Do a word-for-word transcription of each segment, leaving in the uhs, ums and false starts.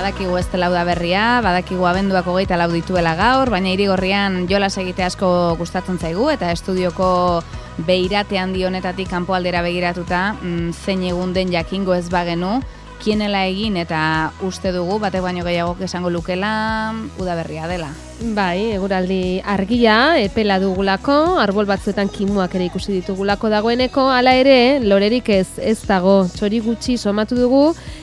badakigu ez dela udaberria, badakigu abenduak hogeita lau dituela gaur, baina Irigorrian jolas egite asko gustatzen zaigu, eta estudioko beirate handi honetatik kanpo aldera begiratuta, mm, zein egun den jakingo ez bagenu, kienela egin eta uste dugu, batek baino gehiagok esango lukela udaberria dela. Bai, eguraldi argia, epela dugulako, arbol batzuetan kimuak ere ikusi ditugulako dagoeneko, hala ere, lorerik ez, ez dago, txori gutxi somatu dugu,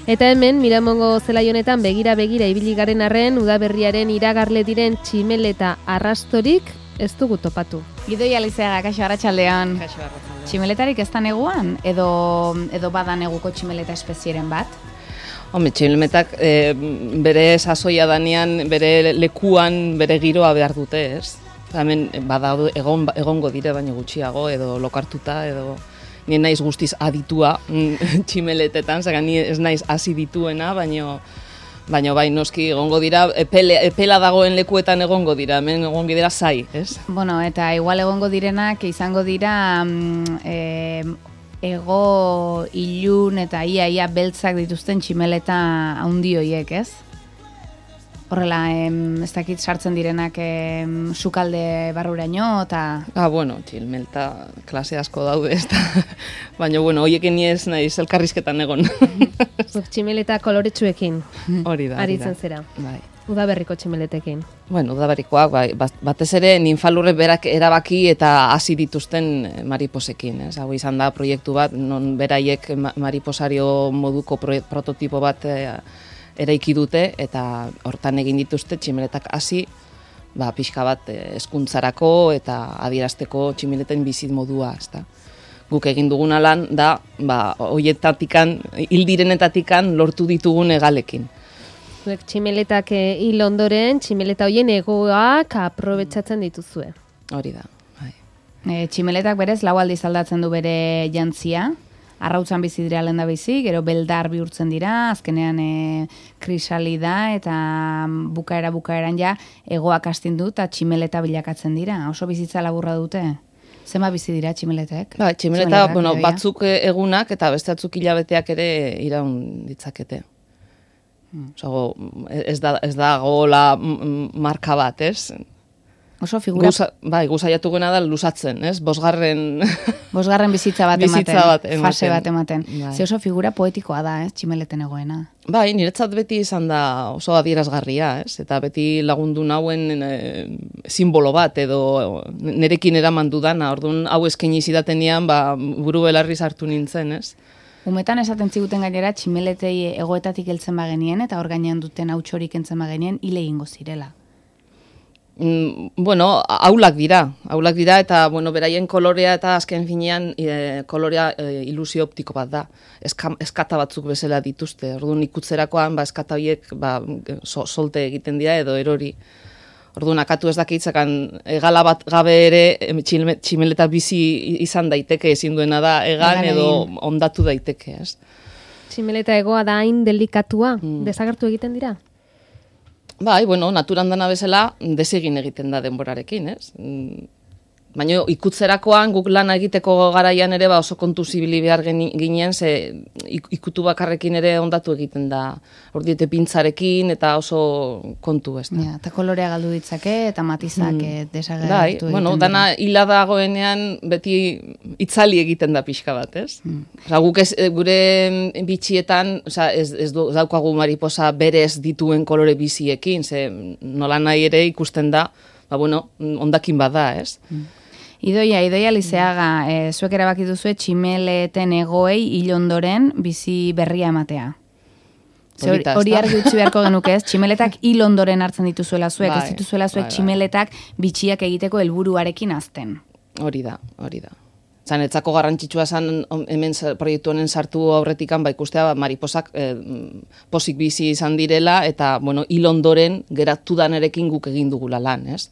eta hemen, Miramongo zelai honetan begira-begira ibili garen arren, udaberriaren iragarle diren tximeleta arrastorik ez dugu topatu. Idoi Alizeaga, kaixo arratsaldean. Kaixo arratsaldean. Tximeletarik ez da neguan, edo, edo bada neguko tximeleta espezieren bat? Home, tximeletak e, bere sasoia danean, bere lekuan, bere giroa behar dute, ez? Hemen bada egon, egongo dire baino gutxiago, edo lokartuta, edo ni naiz guztiz aditua tximeletetan, zera ni ez naiz hasi dituena, baino baino bai noski egongo dira, epele, epela dagoen lekuetan egongo dira, hemen egongo dira zai, ez? Bueno, eta igual egongo direnak izango dira mm, e, ego ilun eta ia-ia beltzak dituzten tximeleta haundi hoiek, ez? Horrela, em, ez dakit sartzen direnak em, sukalde barruraino, eta... Ah, bueno, tximeleta klase asko daude, ez da. Baina, bueno, hoiekin ni ez naiz elkarrizketan egon. Tximeleta koloretsuekin. Hori da, hori aritzen da. zera. Bai. Udaberriko tximeletekin. Bueno, udaberrikoak, bai, batez ere ninfalurre berak erabaki eta hasi dituzten mariposekin, ez? Hau izan da proiektu bat, non beraiek mariposario moduko prototipo bat eraiki dute, eta hortan egin dituzte tximeletak hasi, ba, pixka bat hezkuntzarako eta adierazteko tximeleten bizit modua, ezta. Guk egin duguna lan da, ba, hoietatikan, hildirenetatikan lortu ditugun egalekin. Zuek tximeletak hil ondoren, tximeleta hoien egoak aprobetxatzen dituzue. Hori da, bai. E, tximeletak berez lau aldiz aldatzen du bere jantzia, arrautzan bizi dira lehen da bizi, gero beldar bihurtzen dira, azkenean e, krisalida eta bukaera bukaeran ja egoak astindu eta tximeleta bilakatzen dira. Oso bizitza laburra dute? Zenba bizi dira tximeletek? Ba, tximeleta, bueno, batzuk egunak eta beste batzuk hilabeteak ere iraun ditzakete. Osago, ez da, ez da gola marka bat, ez? Oso figura... Guza, bai, guzaiatu gena da lusatzen, ez? Bosgarren... Bosgarren bizitza bat bizitza ematen, bat ematen, fase bat ematen. Bai. Ze oso figura poetikoa da, ez? Tximeleten egoena. Bai, niretzat beti izan da oso adierazgarria, ez? Eta beti lagundu nauen e, simbolo bat, edo nerekin eraman dudana, orduan hau eskaini zidatenean, ba, buru belarri sartu nintzen, ez? Umetan esaten ziguten gainera tximeletei egoetatik heltzen bagenien eta hor gainean duten hautsorik entzen bagenien hile egingo zirela. Mm, bueno, aulak dira, aulak dira eta bueno, beraien kolorea eta azken finean e, kolorea e, ilusio optiko bat da. Eska, eskata batzuk bezala dituzte. Orduan ikutzerakoan ba eskata horiek ba so, solte egiten dira edo erori. Orduan akatu ez dakitzakan egala bat gabe ere tximeleta bizi izan daiteke, ezin duena da egan edo ondatu daiteke, ez? Tximeleta egoa da hain delikatua, mm. desagertu egiten dira? Bai, bueno, naturan dana bezala desegin egiten da denborarekin, ez? Baina ikutzerakoan guk lana egiteko garaian ere ba oso kontu zibili behar ginen, ze ikutu bakarrekin ere ondatu egiten da. Ordiete pintzarekin eta oso kontu, ez da. Ja, eta kolorea galdu ditzake eta matizak mm. desagertu bai, egiten bueno, dira. dana hila dagoenean beti itzali egiten da pixka bat, ez? Mm. Osa, guk ez, gure bitxietan, osa, ez, ez daukagu mariposa berez dituen kolore biziekin, ze nola nahi ere ikusten da, ba, bueno, ondakin bada, ez? Mm. Idoia, Idoia Lizeaga, e, zuek erabaki duzue tximeleten egoei hil ondoren bizi berria ematea. Ze hori, hori argi utzi beharko genuke ez, tximeletak hil ondoren hartzen dituzuela zuek, bai, ez dituzuela zuek bai, tximeletak bitxiak egiteko helburuarekin azten. Hori da, hori da. Zan, etzako garrantzitsua zan hemen proiektu honen sartu aurretikan, ba ikustea ba, mariposak eh, posik bizi izan direla, eta, bueno, hil ondoren geratu danerekin guk egin dugula lan, ez?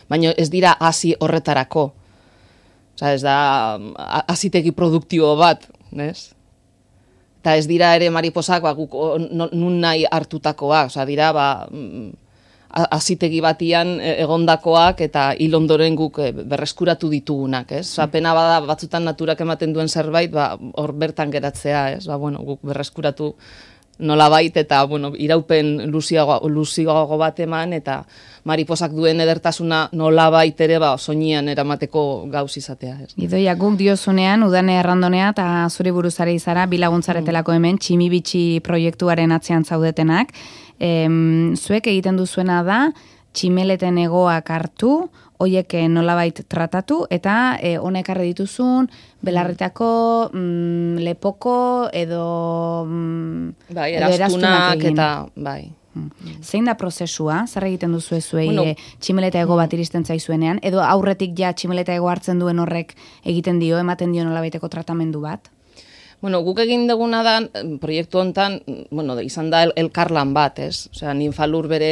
Baina ez dira hasi horretarako. Osa, ez da hazitegi produktibo bat, ez? Eta ez dira ere mariposak ba, guk nun nahi hartutakoak, osa, dira ba, hazitegi batian egondakoak eta hil ondoren guk berreskuratu ditugunak, ez? Osa, pena bada batzutan naturak ematen duen zerbait, ba, hor bertan geratzea, ez? Ba, bueno, guk berreskuratu nolabait, eta, bueno, iraupen luziago, luziago bat eman, eta mariposak duen edertasuna nolabait ere, ba, soinian eramateko gauz izatea. Ez. Idoia, guk diozunean, udane errandonea, eta zure buruzare izara, bilaguntzaretelako hemen, tximibitxi proiektuaren atzean zaudetenak. Em, zuek egiten duzuena da, tximeleten egoak hartu, hoiek nolabait tratatu, eta e, honek arre dituzun, belarretako, mm, lepoko, edo, mm, bai, edo erastunak egin. eta, bai. Zein da prozesua? Zer egiten duzu zuei Bueno, e, tximeleta ego bat iristen zaizuenean? Edo aurretik ja tximeleta ego hartzen duen horrek egiten dio, ematen dio nolabaiteko tratamendu bat? Bueno, guk egin duguna da, proiektu hontan, bueno, izan da el, elkarlan bat, ez? Osea, Ninfalur bere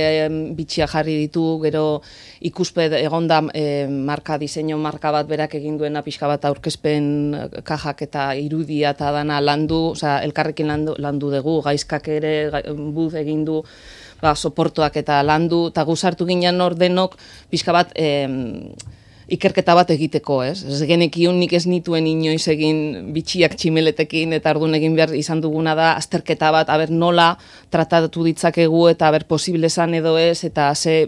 bitxia jarri ditu, gero ikusped egonda e, marka, diseinu marka bat berak egin duena pixka bat aurkezpen kajak eta irudia eta dana landu, osea, elkarrekin landu, landu dugu, gaizkak ere buz egin du, ba, soportuak eta landu, eta gu sartu ginen hor denok pixka bat e, ikerketa bat egiteko, ez? Ez genekiun nik ez nituen inoiz egin bitxiak tximeletekin, eta orduan egin behar izan duguna da azterketa bat, aber nola tratatu ditzakegu eta aber posible zan edo ez, eta ze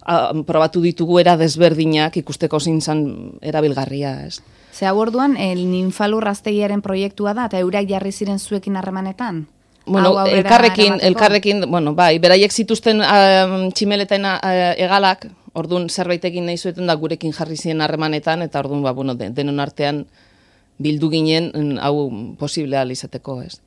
a, probatu ditugu era desberdinak ikusteko zein zan erabilgarria, ez? Ze hau orduan, el Ninfalur Gaztegiaren proiektua da, eta eurak jarri ziren zuekin harremanetan? Bueno, elkarrekin, elkarrekin, bueno, bai, beraiek zituzten uh, tximeleten uh, egalak, orduan zerbait egin nahi zueten da gurekin jarri ziren harremanetan, eta orduan, ba, bueno, denon artean bildu ginen, hau posible ahal izateko, ez.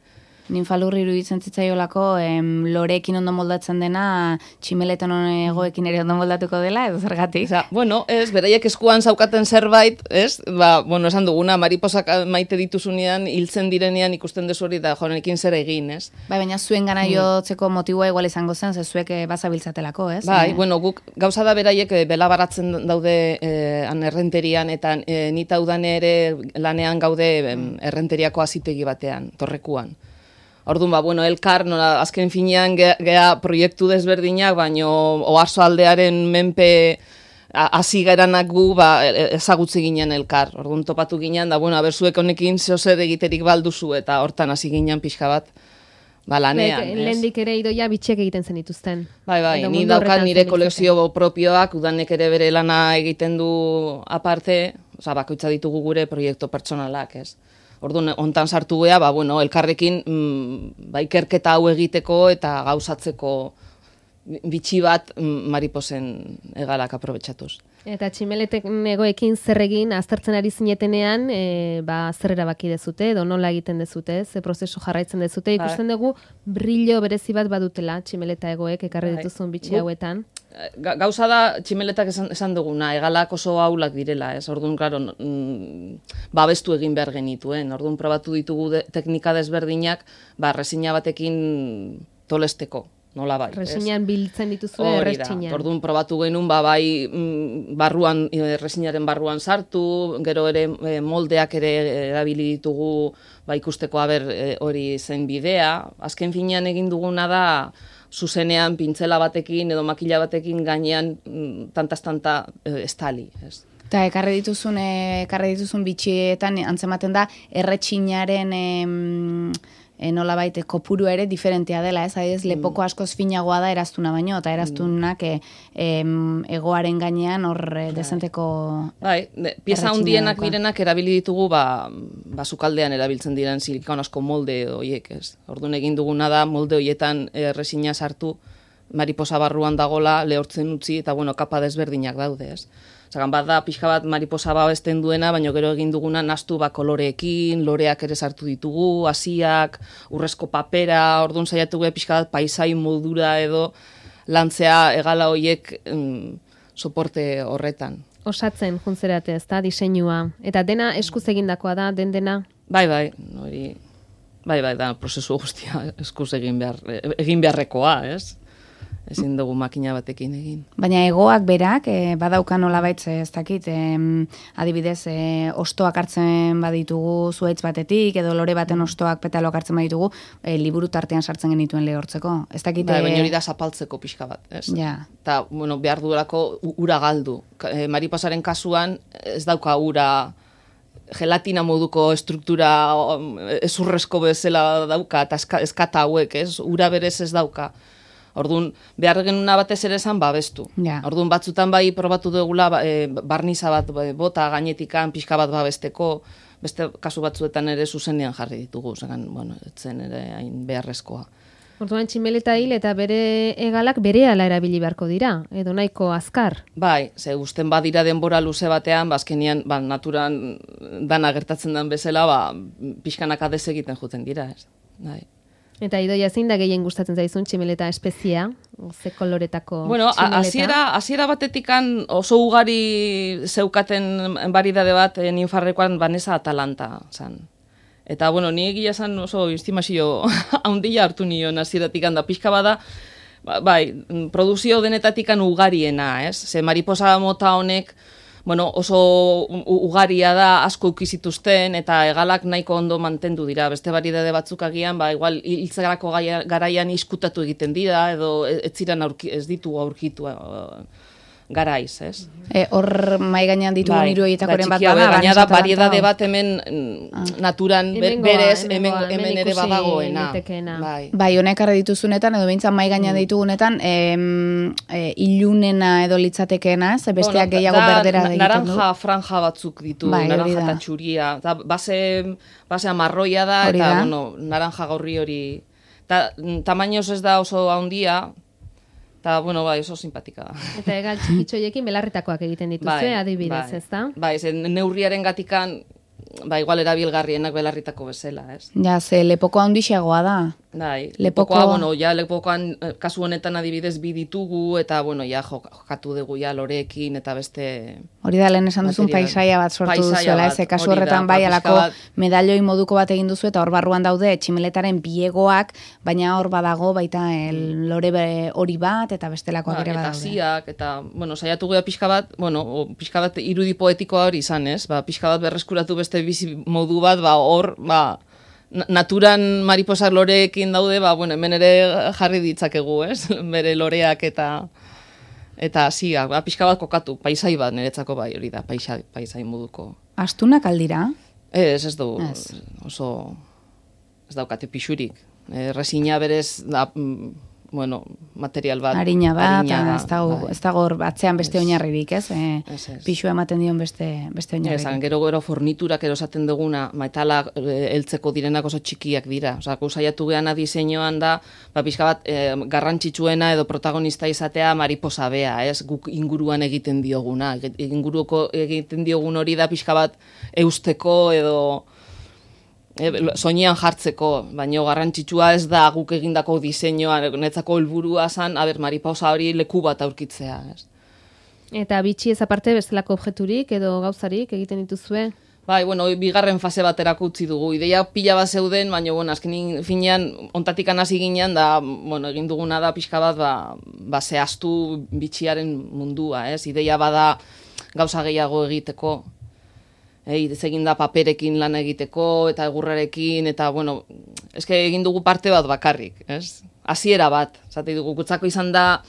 Ninfalur iruditzen zitzaiolako, em, loreekin ondo moldatzen dena, tximeletan egoekin ere ondo moldatuko dela, edo zergatik? Osa, bueno, ez, beraiek eskuan zaukaten zerbait, ez, ba, bueno, esan duguna, mariposak maite dituzunean, hiltzen direnean ikusten dezu hori, da jonekin zer egin, ez. Bai, baina zuen gana jotzeko motiboa igual izango zen, ze zuek bazabiltzatelako, ez? Bai, eh? bueno, guk gauza da beraiek e, bela baratzen daude e, an errenterian, eta e, nita udan ere lanean gaude e, errenteriako azitegi batean, torrekuan. Orduan, ba, bueno, elkar, nola, azken finean gea, gea proiektu desberdinak, baino oarzo aldearen menpe hasi garanak gu, ba, ezagutze ginen elkar. Orduan topatu ginen, da, bueno, aberzuek honekin zehozer egiterik balduzu, eta hortan hasi ginen pixka bat, ba, lanean. Lehendik ere idoia bitxek egiten zen dituzten. Bai, bai, ni daukat nire kolekzio propioak, udanek ere bere lana egiten du aparte, oza, bakoitza ditugu gure proiektu pertsonalak, ez. Orduan, hontan sartu gea, ba, bueno, elkarrekin mm, ba, ikerketa hau egiteko eta gauzatzeko bitxi bat mm, mariposen egalak aprobetxatuz. Eta tximeletek egoekin zer egin aztertzen ari zinetenean, e, ba, zer erabaki dezute, edo nola egiten dezute, ze prozesu jarraitzen dezute, ikusten dugu brillo berezi bat badutela tximeleta egoek ekarri dituzun bitxi hauetan. Gauza da, tximeletak esan, esan duguna, egalak oso aulak direla, ez, orduan, klaro, mm, babestu egin behar genituen, orduan probatu ditugu de, teknika desberdinak, ba, resina batekin tolesteko, nola bai. Resinan biltzen dituzue erretsinan. Orduan probatu genuen, ba, bai, barruan, resinaren barruan sartu, gero ere moldeak ere erabili ditugu, ba, ikusteko aber hori zen bidea, azken finean egin duguna da, zuzenean pintzela batekin edo makila batekin gainean tantaz-tanta estali. Ez. Eta ekarri dituzun, ekarri dituzun bitxietan antzematen da erretxinaren em, e, nolabait kopuru ere diferentea dela, ez? Adibidez, lepoko askoz finagoa da eraztuna baino, eta eraztunak e, em, egoaren gainean hor dezenteko... Bai, pieza hundienak direnak erabili ditugu, ba, ba sukaldean erabiltzen diren silikon asko molde horiek, ez? Orduan egin duguna da, molde horietan erresina sartu, mariposa barruan dagola, lehortzen utzi, eta bueno, kapa desberdinak daude, ez? Zagan bat da, pixka bat mariposa babesten duena, baina gero egin duguna nastu ba koloreekin, loreak ere sartu ditugu, hasiak, urrezko papera, orduan saiatu gu pixka bat paisai modura edo lantzea egala horiek mm, soporte horretan. Osatzen juntzerate, ez da, diseinua. Eta dena eskuz egindakoa da, den dena? Bai, bai, hori, bai, bai, da, prozesu guztia eskuz egin, behar, egin beharrekoa, ez? Ezin dugu makina batekin egin. Baina egoak berak, e, badauka nolabait, ez dakit, e, adibidez, e, ostoak hartzen baditugu zuhaitz batetik, edo lore baten ostoak petaloak hartzen baditugu, e, liburu tartean sartzen genituen lehortzeko. Ez dakit... Ba, baina hori da zapaltzeko pixka bat, ez? Ja. Eta, bueno, behar duelako ura galdu. E, mariposaren kasuan ez dauka ura gelatina moduko estruktura ezurrezko bezala dauka, eta eskata hauek, ez? Ura berez ez dauka. Orduan, behar genuna batez ere esan babestu. Ja. Orduan, batzutan bai probatu dugula e, barniza bat bota gainetikan, pixka bat babesteko, beste kasu batzuetan ere zuzenean jarri ditugu, zegan, bueno, etzen ere hain beharrezkoa. Orduan tximeleta hil eta bere hegalak berehala erabili beharko dira, edo nahiko azkar. Bai, ze gusten badira denbora luze batean, bazkenian, ba, naturan dana gertatzen den bezala, ba, pixkanaka desegiten juten dira, ez. Bai. Eta Idoia, zein da gehien gustatzen zaizun tximeleta espeziea? Ze koloretako bueno, tximeleta? hasiera hasiera batetikan oso ugari zeukaten baridade bat ninfarrekoan Vanessa Atalanta zan. Eta, bueno, ni egia esan oso estimazio handia hartu nion hasieratik da pixka bada, bai, produzio denetatikan ugariena, ez? Ze mariposa mota honek, bueno, oso ugaria da, asko ukizituzten, eta hegalak nahiko ondo mantendu dira. Beste baridade batzuk agian, ba, igual, hiltzarako garaian iskutatu egiten dira, edo ez ziren aurki, ez ditu aurkitu garaiz, ez? Hor e, mai gainean ditugu bai, niru horietakoren bai, bat bada. Baina da, variedade bat hemen ah. naturan hemen berez, goa, hemen, hemen, hemen ere badagoena. Bai, bai honek arre dituzunetan, edo behintzat mai gainean mm. ditugunetan, em, e, ilunena edo litzatekeena, ez? Besteak bueno, gehiago da, berdera da egiten du. Naranja franja batzuk ditu, bai, naranja eta txuria. Da, base, base amarroia da, hori eta da. Bueno, naranja gaurri hori. Ta, tamainoz ez da oso handia, eta, bueno, bai, oso simpatika da. Eta egal txikitxoiekin belarritakoak egiten dituzue, bai, adibidez, bai, ez da? Bai, zen neurriaren gatikan, ba, igual erabilgarrienak belarritako bezala, ez? Ja, ze lepoko handixeagoa da. Bai, lepokoa, lepokoa, bueno, ja, lepokoan, kasu honetan adibidez bi ditugu, eta, bueno, ja, jokatu dugu, ja, loreekin, eta beste... Hori da, lehen esan duzun paisaia bat sortu duzuela, ez, kasu horretan bai, alako medailoi moduko bat egin duzu, eta hor barruan daude tximeletaren biegoak, baina hor badago, baita el, lore hori bat, eta bestelakoak ere badaude. Eta ziak, eta, bueno, saiatu gea pixka bat, bueno, pixka bat irudi poetikoa hori izan, ez, ba, pixka bat berreskuratu beste bizi modu bat, ba, hor, ba, naturan mariposa loreekin daude, ba, bueno, hemen ere jarri ditzakegu, ez? Bere loreak eta eta hasiak, ba, pixka bat kokatu, paisai bat niretzako bai, hori da, paisai, paisai moduko. Astunak aldira? Ez, ez du, oso, ez daukate pixurik. E, resina berez, da, bueno, material bat. Harina bat, harina, ez dago, bai. Ez dago batzean beste es, oinarririk, ez? E, ez, ez. Pixu ematen dion beste, beste oinarririk. Ez, gero gero forniturak erosaten duguna, metala heltzeko direnak oso txikiak dira. Osa, saiatu geana diseinuan da, ba, pixka bat, e, garrantzitsuena edo protagonista izatea mariposa bea, ez? Guk inguruan egiten dioguna. Inguruko egiten diogun hori da pixka bat eusteko edo... E, soinean jartzeko, baina garrantzitsua ez da guk egindako diseinua, netzako helburua zan, aber, mariposa hori leku bat aurkitzea. Ez. Eta bitxi ez aparte bestelako objekturik edo gauzarik egiten dituzue? Bai, bueno, bigarren fase baterako utzi dugu. Ideia pila bat zeuden, baina, bueno, azkenin finean, ontatikan hasi ginean, da, bueno, egin duguna da pixka bat, ba, ba zehaztu bitxiaren mundua, ez? Ideia bada gauza gehiago egiteko. Ei, egin da paperekin lan egiteko, eta egurrarekin, eta, bueno, eske egin dugu parte bat bakarrik, ez? Hasiera bat, zati dugu, gutzako izan da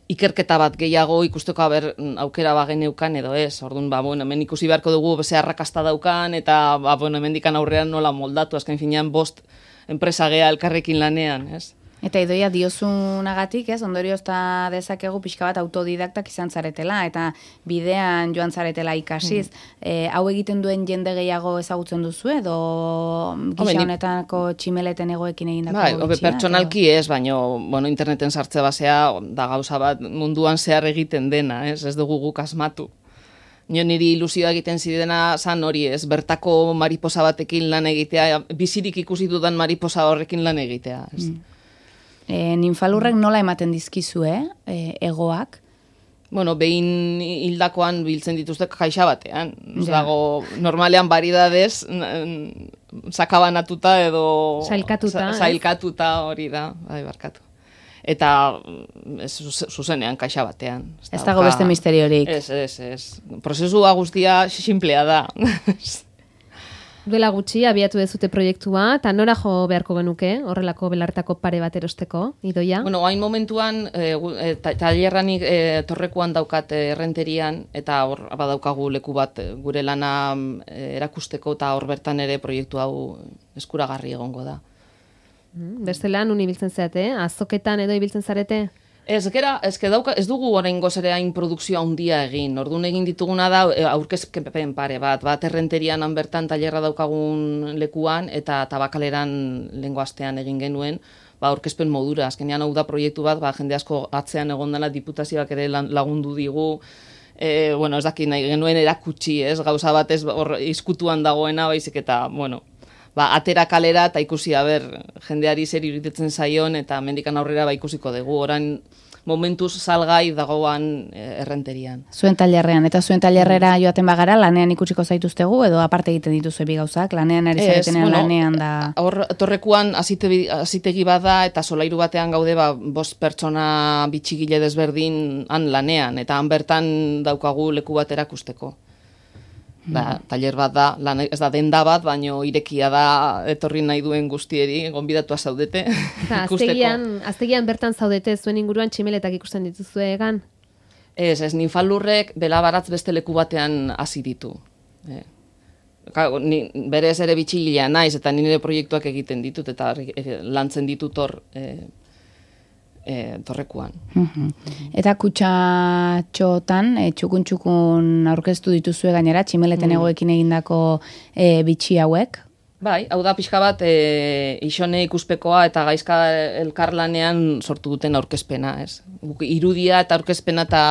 ikerketa bat gehiago ikusteko aber aukera bageneukan edo ez. Orduan, ba, bueno, hemen ikusi beharko dugu beze arrakasta daukan, eta, ba, bueno, hemendikan aurrean nola moldatu, azken finean bost enpresa gea elkarrekin lanean, ez? Eta Idoia diozunagatik, ez, ondoriozta dezakegu pixka bat autodidaktak izan zaretela, eta bidean joan zaretela ikasiz. Mm. E, hau egiten duen jende gehiago ezagutzen duzu, edo gisa honetako tximeleten egoekin egindako bai, bitxia? Pertsonalki ez, baina bueno, interneten sartze basea da gauza bat munduan zehar egiten dena, ez, ez dugu guk asmatu. Nio niri ilusioa egiten zidena zan hori ez, bertako mariposa batekin lan egitea, bizirik ikusi dudan mariposa horrekin lan egitea, ez. Mm. E, ninfalurrek nola ematen dizkizue, e, egoak? Bueno, behin hildakoan biltzen dituzte jaixa batean. Ja. Dago, normalean baridadez, sakabanatuta edo... Sailkatuta. Sailkatuta hori da, bai, barkatu. Eta ez, zuzenean kaixa batean. Ez dago beste misteriorik. Ez, ez, ez. Prozesua guztia simplea da. Duela gutxi, abiatu dezute proiektua, eta nora jo beharko genuke, horrelako belartako pare bat erosteko, Idoia? Bueno, hain momentuan, e, e, tailerranik e, torrekuan daukat errenterian, eta hor badaukagu leku bat gure lana e, erakusteko, eta hor bertan ere proiektu hau eskuragarri egongo da. Bestela, nun ibiltzen zeate, azoketan edo ibiltzen zarete? Ez, gera, ez, dauka, ez dugu oraingoz ere hain produkzio handia egin. Orduan egin dituguna da aurkezpen pare bat, bat errenterian han bertan tailerra daukagun lekuan eta tabakaleran lehengo astean egin genuen, ba aurkezpen modura. Azkenean hau da proiektu bat, ba jende asko atzean egon dela, diputazioak ere lagundu digu. E, bueno, ez dakit nahi genuen erakutsi, ez, gauza bat ez hor izkutuan dagoena, baizik eta, bueno, ba, atera kalera eta ikusi, ber, jendeari zer iritetzen zaion eta mendikan aurrera ba ikusiko dugu. Orain momentuz salgai dagoan errenterian. Zuen tailerrean, eta zuen tailerrera joaten bagara, lanean ikusiko zaituztegu, edo aparte egiten dituzu bi gauzak, lanean ari zaretenean bueno, lanean da... Hor, torrekuan azitegi bada eta solairu batean gaude, ba, bost pertsona bitxigile desberdin han lanean, eta han bertan daukagu leku bat erakusteko. Ba, tailer bat da, lan, ez da denda bat, baino irekia da etorri nahi duen guztieri, gonbidatua zaudete. Aztegian, aztegian bertan zaudete, zuen inguruan tximeletak ikusten dituzue egan? Ez, ez, Ninfalurrek belabaratz beste leku batean hasi ditu. E, ni, berez ere bitxigilea naiz, eta nire proiektuak egiten ditut, eta e, lantzen ditut hor... E, E, torrekuan. Eta kutxatxotan, e, txukun-txukun aurkeztu dituzue gainera, tximeleten mm. egoekin egindako e, bitxi hauek? Bai, hau da pixka bat e, isone ikuspekoa eta gaizka elkarlanean sortu duten aurkezpena, ez? Irudia eta aurkezpena eta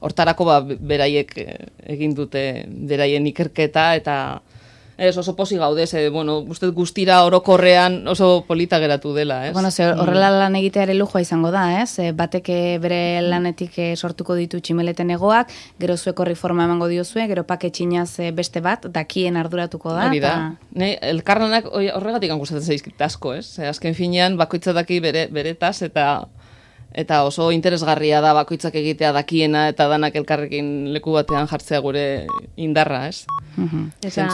hortarako ba, beraiek egin dute beraien ikerketa eta ez, oso posi gaude, ze, bueno, uste guztira orokorrean oso polita geratu dela, ez? Bueno, ze horrela lan egitea ere lujoa izango da, ez? Bateke bere lanetik sortuko ditu tximeleten egoak, gero zuek horri forma emango diozue, gero paketxinaz beste bat, dakien arduratuko da. Hori da. Ta... Ne, elkarlanak horregatik gustatzen zaizkit asko, ez? Azken finean, bakoitza daki bere, beretaz, eta... Eta oso interesgarria da bakoitzak egitea dakiena eta danak elkarrekin leku batean jartzea gure indarra, ez? Uh-huh. Eta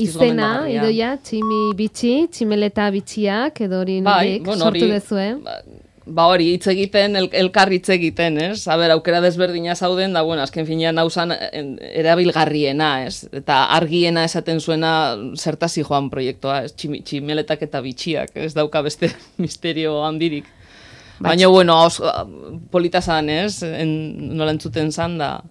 izena, Idoia, tximi bitxi, tximeleta bitxiak, edo hori bai, bueno, sortu dezue. Ba, ba hori, hitz egiten, el, elkar hitz egiten, ez? Aber, aukera desberdina zauden, da, bueno, azken finean nauzan erabilgarriena, ez? Eta argiena esaten zuena zertasi joan proiektua, ez? Tximi, tximeletak eta bitxiak, ez dauka beste misterio handirik. Baina, bueno, polita zan, ez? En, nola entzuten zan, da...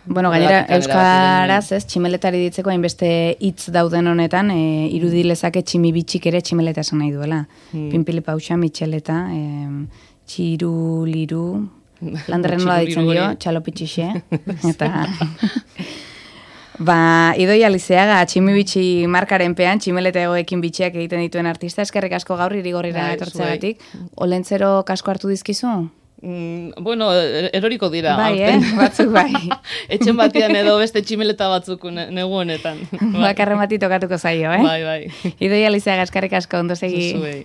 Bueno, gainera, euskaraz, ez, tximeletari ditzeko hainbeste hitz dauden honetan, e, irudi lezake tximi bitxik ere tximeleta esan nahi duela. Hmm. Pinpili pausa, mitxeleta, e, txiru, liru, landerren nola ditzen dio, txalopitxixe, eta... Ba, Idoia Lizeaga, tximibitxi markaren pean, tximelete egoekin bitxiak egiten dituen artista, eskerrik asko gaur irigorrira etortzeagatik. Olentzero kasko hartu dizkizu? Mm, bueno, eroriko dira. Bai, eh? Batzuk bai. Etxen batean edo beste tximeleta batzuk negu honetan. Bakarren bati tokatuko zaio, eh? Bai, bai. Idoia Lizeaga, eskerrik asko, ondo segi. Zuzuei.